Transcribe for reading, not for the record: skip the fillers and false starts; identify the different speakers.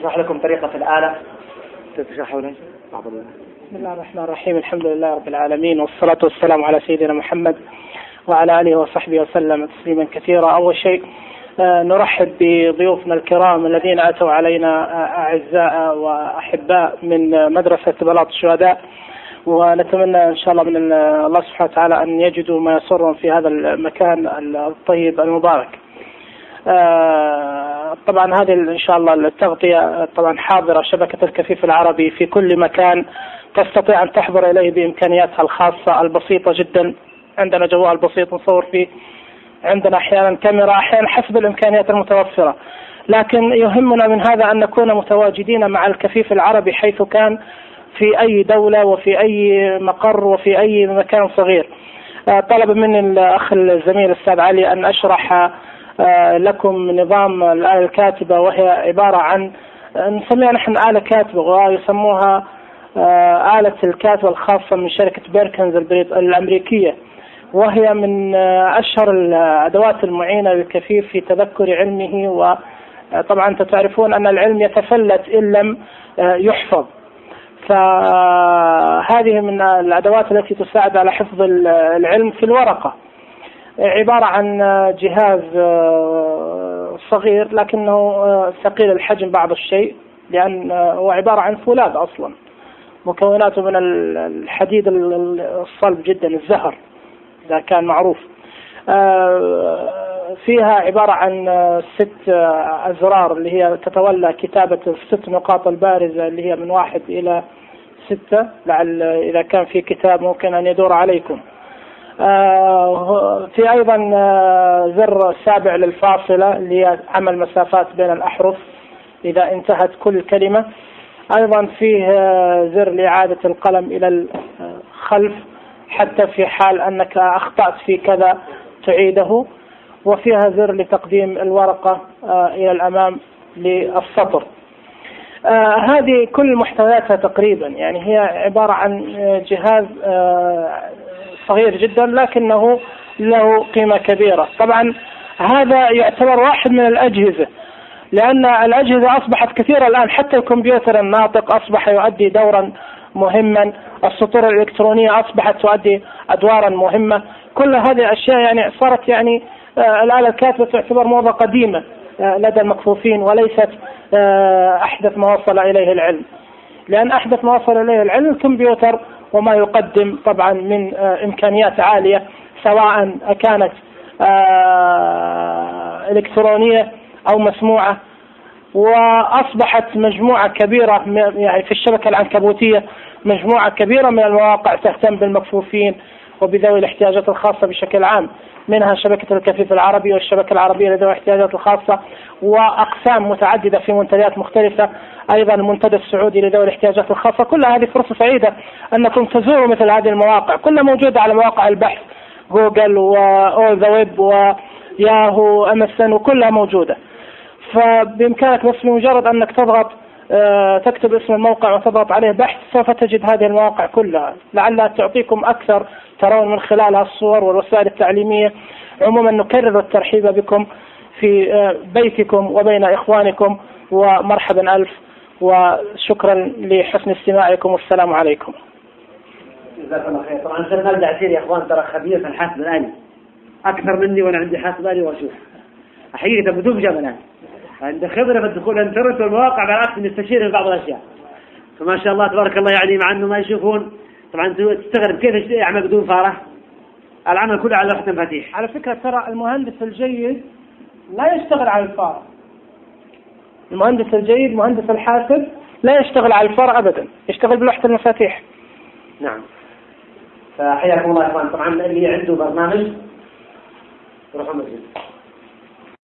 Speaker 1: أشرح لكم طريقة الآلة تتشرحونها.
Speaker 2: بسم الله الرحمن الرحيم. الحمد لله رب العالمين، والصلاة والسلام على سيدنا محمد وعلى آله وصحبه وسلم تسليما كثيرا. أول شيء نرحب بضيوفنا الكرام الذين أتوا علينا أعزاء وأحباء من مدرسة بلاط الشهداء، ونتمنى إن شاء الله من الله سبحانه وتعالى أن يجدوا ما يسرهم في هذا المكان الطيب المبارك. طبعا هذه إن شاء الله التغطية طبعا حاضرة شبكة الكفيف العربي في كل مكان تستطيع أن تحضر إليه بإمكانياتها الخاصة البسيطة جدا. عندنا جوال بسيط نصور فيه، عندنا أحيانا كاميرا، أحيانا حسب الإمكانيات المتوفرة، لكن يهمنا من هذا أن نكون متواجدين مع الكفيف العربي حيث كان في أي دولة وفي أي مقر وفي أي مكان صغير. طلب مني الأخ الزميل الأستاذ علي أن أشرح لكم نظام الآلة الكاتبة، وهي عبارة عن نسميها نحن آلة كاتبة ويسموها آلة الكاتبة الخاصة من شركة بيركنز الأمريكية، وهي من أشهر الأدوات المعينة للكفيف في تذكر علمه. وطبعا أنتم تعرفون أن العلم يتفلت إن لم يحفظ، فهذه من الأدوات التي تساعد على حفظ العلم في الورقة. عبارة عن جهاز صغير لكنه ثقيل الحجم بعض الشيء، لأن هو عبارة عن فولاذ أصلا، مكوناته من الحديد الصلب جدا الزهر إذا كان معروف. فيها عبارة عن 6 أزرار اللي هي تتولى كتابة 6 نقاط البارزة اللي هي من 1 إلى 6، لعل إذا كان في كتاب ممكن أن يدور عليكم. في أيضا زر سابع للفاصلة اللي هي عمل مسافات بين الأحرف إذا انتهت كل كلمة. أيضا فيه زر لإعادة القلم إلى الخلف حتى في حال أنك أخطأت في كذا تعيده، وفيها زر لتقديم الورقة إلى الأمام للسطر. هذه كل محتوياتها تقريبا، يعني هي عبارة عن جهاز صغير جدا لكنه له قيمة كبيرة. طبعا هذا يعتبر واحد من الأجهزة، لأن الأجهزة أصبحت كثيرة الآن، حتى الكمبيوتر الناطق أصبح يؤدي دورا مهما، السطور الإلكترونية أصبحت تؤدي أدوارا مهمة. كل هذه الأشياء يعني صارت يعني الآلة الكاتبة تعتبر موضة قديمة لدى المكفوفين، وليست أحدث ما وصل إليه العلم، لأن أحدث ما وصل إليه العلم الكمبيوتر وما يقدم طبعا من إمكانيات عالية، سواء كانت إلكترونية أو مسموعة. وأصبحت مجموعة كبيرة يعني في الشبكة العنكبوتية مجموعة كبيرة من المواقع تهتم بالمكفوفين وبذوي الاحتياجات الخاصة بشكل عام، منها شبكة الكفيف العربي والشبكة العربية لذوي الاحتياجات الخاصة، وأقسام متعددة في منتديات مختلفة، أيضا المنتدى السعودي لذوي الاحتياجات الخاصة. كل هذه فرصة سعيدة أنكم تزوروا مثل هذه المواقع، كلها موجودة على مواقع البحث جوجل وأول ذا ويب وياهو MSN وكلها موجودة. فبإمكانك بس بمجرد أنك تضغط تكتب اسم الموقع وتضغط عليه بحث سوف تجد هذه المواقع كلها، لعلها تعطيكم أكثر ترون من خلالها الصور والوسائل التعليمية. عموما نكرر الترحيب بكم في بيتكم وبين إخوانكم، ومرحبا ألف، وشكرا لحسن استماعكم، والسلام عليكم.
Speaker 1: جزاكم الله خير. طبعا سلمان الدعسير يا إخوان ترى خبير في الحاسب الآلي أكثر مني، وأنا عندي حاسب آلي وأشوف حقيقة بدون جبل الآن عند خبرة في الدخول الانترنت والمواقع، بالعكس نستشير في بعض الأشياء. فما شاء الله تبارك الله، يعني مع أنه ما يشوفون طبعا تستغرب كيف يعمل بدون فارة، العمل كله على لوحة مفاتيح.
Speaker 2: على فكرة ترى المهندس الجيد لا يشتغل على الفارة، المهندس الجيد مهندس الحاسب لا يشتغل على الفارة أبدا، يشتغل بلوحة المفاتيح.
Speaker 1: نعم. فحياكم الله يا إخوان. طبعا اللي عنده برنامج يروح مسجد.